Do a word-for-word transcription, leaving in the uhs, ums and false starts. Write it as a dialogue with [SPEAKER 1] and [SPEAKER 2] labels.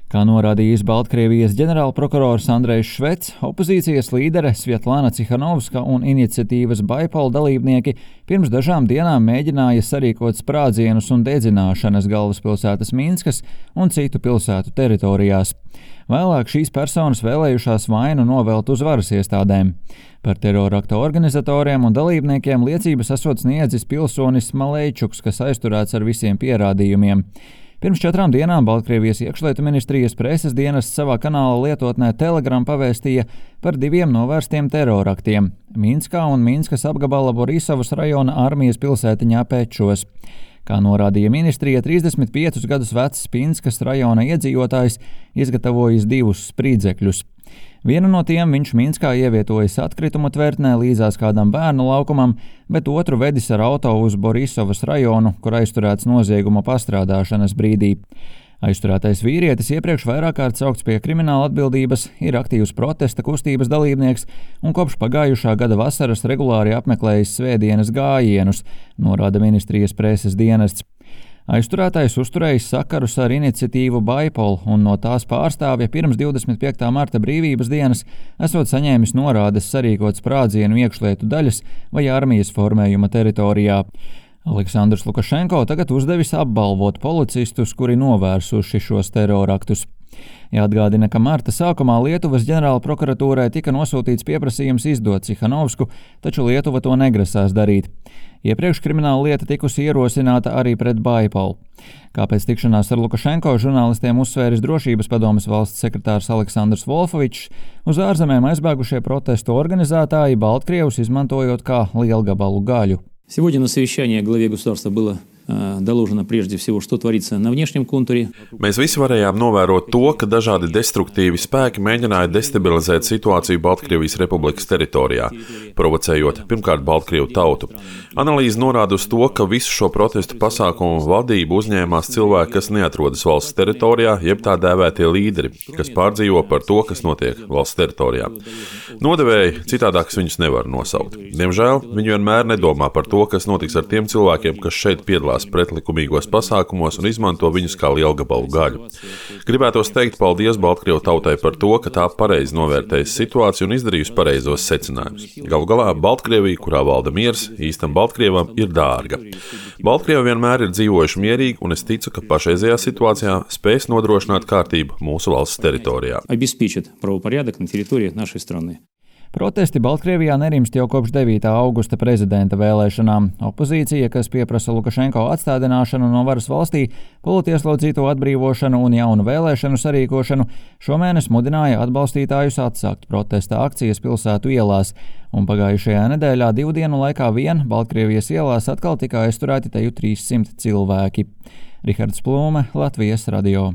[SPEAKER 1] Kā norādījis Baltkrievijas ģenerālprokurors Andrejs Švets, opozīcijas līdere Svietlana Cihanovska un iniciatīvas Baipol dalībnieki pirms dažām dienām mēģināja sarīkot sprādzienus un dedzināšanas galvaspilsētas Minskas un citu pilsētu teritorijās. Vēlāk šīs personas vēlējušās vainu novelt uz varas iestādēm. Par terorakta organizatoriem un dalībniekiem liecības esot sniedzis pilsonis Malejčuks, kas aizturēts ar visiem pierādījumiem. Pirms četrām dienām Baltkrievijas iekšlietu ministrijas preses dienests savā kanāla lietotnē Telegram pavēstīja par diviem novērstiem teroraktiem – Minskā un Minskas apgabala Borisovas rajona armijas pilsētiņā Pečos. Kā norādīja ministrija, trīsdesmit piecus gadus vecs Minskas rajona iedzīvotājs izgatavojis divus sprīdzekļus. Vienu no tiem viņš Minskā ievietojis atkritumu tvertnē līdzās kādam bērnu laukumam, bet otru vedis ar auto uz Borisovas rajonu, kur aizturēts nozieguma pastrādāšanas brīdī. Aizturētais vīrietis iepriekš vairāk kārt saukts pie krimināla atbildības, ir aktīvs protesta kustības dalībnieks un kopš pagājušā gada vasaras regulāri apmeklējis svētdienas gājienus, norāda ministrijas preses dienests. Aizturētais uzturējis sakarus ar iniciatīvu Baipol un no tās pārstāvja pirms divdesmit piektā marta brīvības dienas esot saņēmis norādes sarīkot sprādzienu iekšlietu daļas vai armijas formējuma teritorijā. Aleksandrs Lukašenko tagad uzdevis apbalvot policistus, kuri novērsuši šos teroraktus. Jāatgādina, ka marta sākumā Lietuvas ģenerālprokuratūrai tika nosūtīts pieprasījums izdot Cihanovsku, taču Lietuva to negrasās darīt. Iepriekš krimināla lieta tikusi ierosināta arī pret Baipol. Kāpēc tikšanās ar Lukašenko žurnālistiem uzsvēris drošības padomes valsts sekretārs Aleksandrs Volfovičs, uz ārzemēm aizbēgušie protestu organizētāji Baltkrievus izmantojot kā lielgabalu gaļu.
[SPEAKER 2] Сегодня на совещании главе государства было доложено прежде всего, что творится на внешнем контуре.
[SPEAKER 3] Mēs visi varējām novērot to, ka dažādi destruktīvi spēki mēģināja destabilizēt situāciju Baltkrievijas republikas teritorijā, provocējot pirmkārt Baltkrievu tautu. Analīze norāda uz to, ka visu šo protestu pasākumu vadību uzņēmās cilvēki, kas neatrodas valsts teritorijā, jeb tā dēvētie līderi, kas pārdzīvo par to, kas notiek valsts teritorijā. Nodevēji citādākas viņus nevar nosaukt. Diemžēl viņi vienmēr nedomā par to, kas notiks ar tiem cilvēkiem, kas šeit piedalās pretlikumīgos pasākumos un izmanto viņus kā lielgabalu gaļu. Gribētos teikt paldies Baltkrievu tautai par to, ka tā pareizi novērtējusi situāciju un izdarījusi pareizos secinājumus. Galu galā Baltkrievija, kurā valda miers, īstam Baltkrievam ir dārga. Baltkrievi vienmēr ir dzīvojuši mierīgi, un es ticu, ka pašreizējā situācijā spēs nodrošināt kārtību mūsu valsts teritorijā.
[SPEAKER 2] Обеспечит правопорядок на территории нашей страны.
[SPEAKER 1] Protesti Baltkrievijā nerimst jau kopš devītā augusta prezidenta vēlēšanām. Opozīcija, kas pieprasa Lukašenko atstādināšanu no varas valstī, politieslodzīto atbrīvošanu un jaunu vēlēšanu sarīkošanu, šomēnes mudināja atbalstītājus atsākt protesta akcijas pilsētu ielās, un pagājušajā nedēļā divu dienu laikā vien Baltkrievijas ielās atkal tika aizturēti teju trīssimt cilvēki. Rihards Plūme, Latvijas radio.